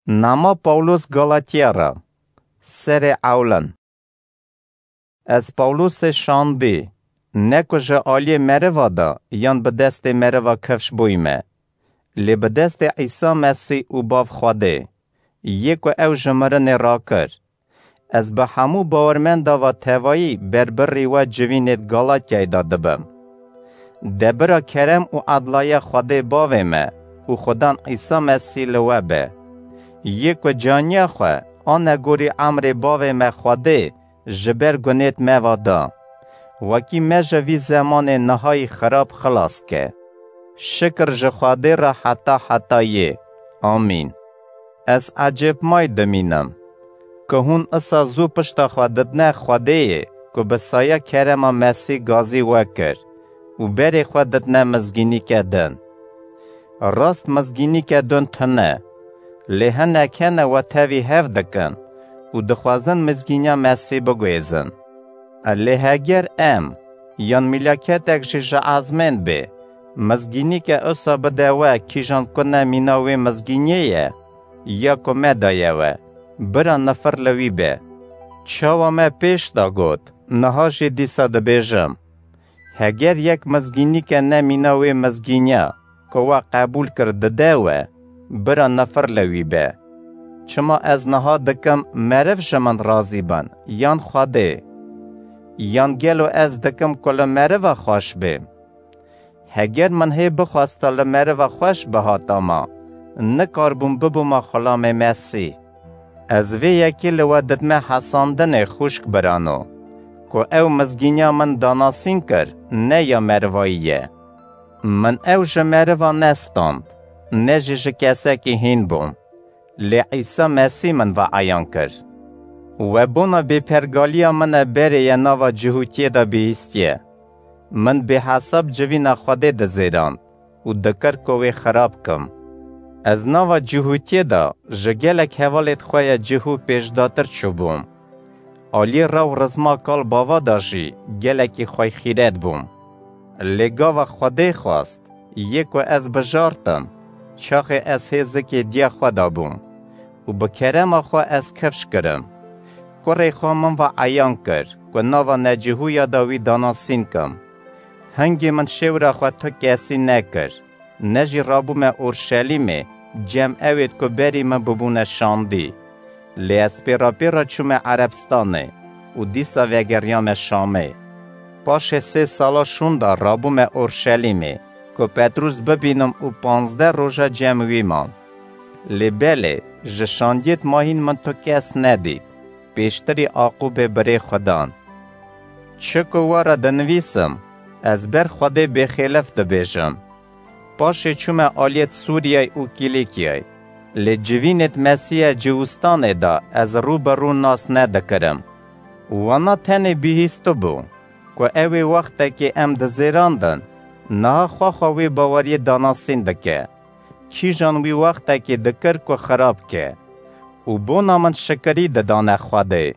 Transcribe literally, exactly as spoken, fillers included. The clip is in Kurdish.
Nama Pawlos Galatiya re. Serê ewlin. Ez Pawlosê şandî, ne ku ji aliyê meriva de yan bi destê meriva kifş bûyme, lê bi destê Îsa Mesîh û Bav Xwedê, yê ku ew ji mirinê rakir. Ez bi hemû bawermenda ve tevayî berbirî we civînêd Galatyayê de dibim. Debira kerem û edlaya Xwedê Bavê me û Xudan Îsa Mesîh li we be. Yê ku caniya xwe anegorî emrê Bavê me Xwedê ji ber gunêt me ve da. Wekî me ji vî zemanê nihayî xirab xilas ke. Şikir ji Xwedê re heta hetayê. Amîn. Ez ecêbmay dimînim, ku hûn isa zû pişta xwe didine Xwedêyê, ku bi saya kerema Mesîh gazî we kir û berê xwe didine mizgînîke din. Rast mizgînîke din tune, lê hinek hene we tevî hev dikin û dixwazin mizgîniya Mesîh biguhêzin. Lê heger em, yan mîlaketek jî ji ezmên bê, mizgînîke usa bide we kîjan ku ne mîna wê mizgîniyê ye, ya ku me daye we, bira nifir li wî be. Çawa me pêş de got, niha jî dîsa dibêjim. Heger yek mizgînîke ne mîna wê mizgîniya ku we qebûl kir dide we, bira nifir li wî be. Çima ez niha dikim meriv ji min razî bin, yan Xwedê? Yan gelo ez dikim ku li meriva xweş bêm? Heger min hê bixwesta li meriva xweş bihatama, nikarbûm bibûma xulamê Mesîh. Ez vê yekê li we didme hesandinê xwişk birano, ku ew mizgîniya min danasîn kir, ne ya merivayî ye. Min ew ji meriva nestand, ne jî ji kesekî hîn bûm, lê Îsa Mesîh min ve eyan kir. We bona bêpergaliya min e berê ye nava cihûtiyê de bihîstiye. Min bêhesab civîna Xwedê dizêrand û dikir ku wê xirab kim. Ez nava cihûtiyê de ji gelek hevalêd xwe ya cihû pêşdatir çûbûm. Aliyê rew rizma kal bava de jî gelekî xweyxîret bûm. Lê gava Xwedê xwest, yê ku ez bijartim, çaxê ez hê zikê diya xwe de bûm û bi kerema xwe ez kifş kirim. Kurê xwe min ve eyan kir, ku nava necihûya de wî danasîn kim. Hingê min şêwra xwe tu kesî nekir, ne jî rabûme Orşelîmê, cem ewêd ku berî min bibûne şandî. Lê ez pêra pêra çûme Erebstanê û dîsa vegeriyame Şamê. Paşê sê sala şûnda rabûme Orşelîmê, ku Petrûs bibînim û panzdeh roja cem wî mam. Lê belê, ji şandiyêd mahîn min tu kes nedît, pêştirî Aqûbê birê Xudan. Çi ku we re dinivîsim, ez ber Xwedê bêxêlif dibêjim. Paşê çûme aliyêd Sûriyeyê û Kîlîkiyeyê. Lê civînêd Mesîhê Ciwistanê de ez rû bi rû nas nedikirim. Wana tenê bihîstibû, ku ew ê wextekê em dizêrandin, niha xwexa wê baweriyê danasîn dike. Kîjan wî wextekê dikir ku xirab ke. Û bona min şikirî didane Xwedê,